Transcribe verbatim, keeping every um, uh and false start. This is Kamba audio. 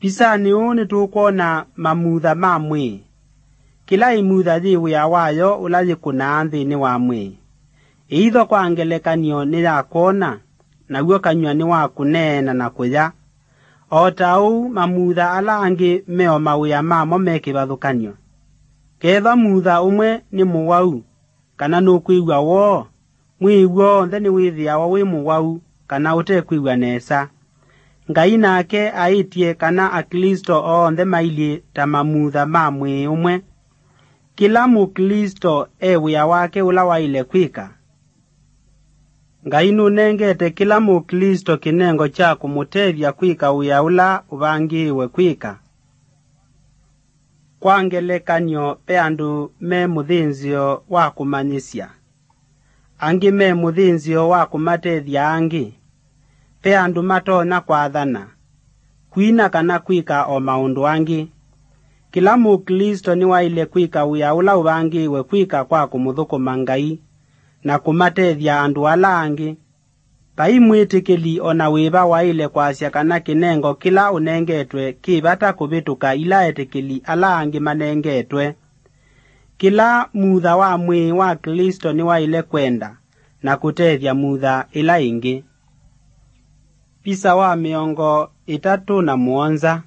Visanĩ ũũ nĩtũkwona mamutha ma mwĩĩ. Kĩla ĩmutha yĩ wĩa wayo ũla yĩkũnaa nthĩnĩ wa mwĩĩ. Ĩitho kwa ngelekany'o nĩ ya kwona, naw'o kanyw'a nĩ wa kũneena na kũya. O ta ũu, mamutha ala angĩ me o mawĩa mamo me kĩvathũkany'o. Kethwa mutha ũmwe nĩ mũwau, kana nũkwĩw'a woo, mwĩĩ w'onthe nĩwĩthĩawa wĩ mũwau kana ũtekwĩw'a nesa. Ngai nake aĩtye kana Aklĩsto onthe mailyĩ ta mamutha ma mwĩĩ ũmwe. Kĩla Mũklĩsto e wĩa wake ũla waĩle kwĩka. Ngai nũnengete kĩla Mũklĩsto kĩnengo kya kũmũtethya kwĩka wĩa ũla ũvangĩĩwe kwĩka. Kwa ngelekany'o, ve andũ me mũthĩnzĩo wa kũmanyĩsya, angĩ me mũthĩnzĩo wa kũmatethya angĩ. Ve andũ matonya kwathana, kwina kana kwĩka o maũndũ angĩ. Kĩla Mũklĩsto nĩwaĩle kwĩka wĩa ũla ũvangĩĩwe kwĩka kwa kũmũthũkũma Ngai na kũmatethya andũ ala angĩ. Vai mwĩtĩkĩli o na wĩva waĩle kwasya kana kĩnengo kĩla ũnengetwe kĩ vata kũvĩtũka ila etĩkĩli ala angĩ manengetwe. Kĩla mutha wa mwĩĩ wa Klĩsto nĩwaĩle kwenda na kũtethya mutha ĩla ĩngĩ. Visa wa mĩongo ĩtatũ na mũonza.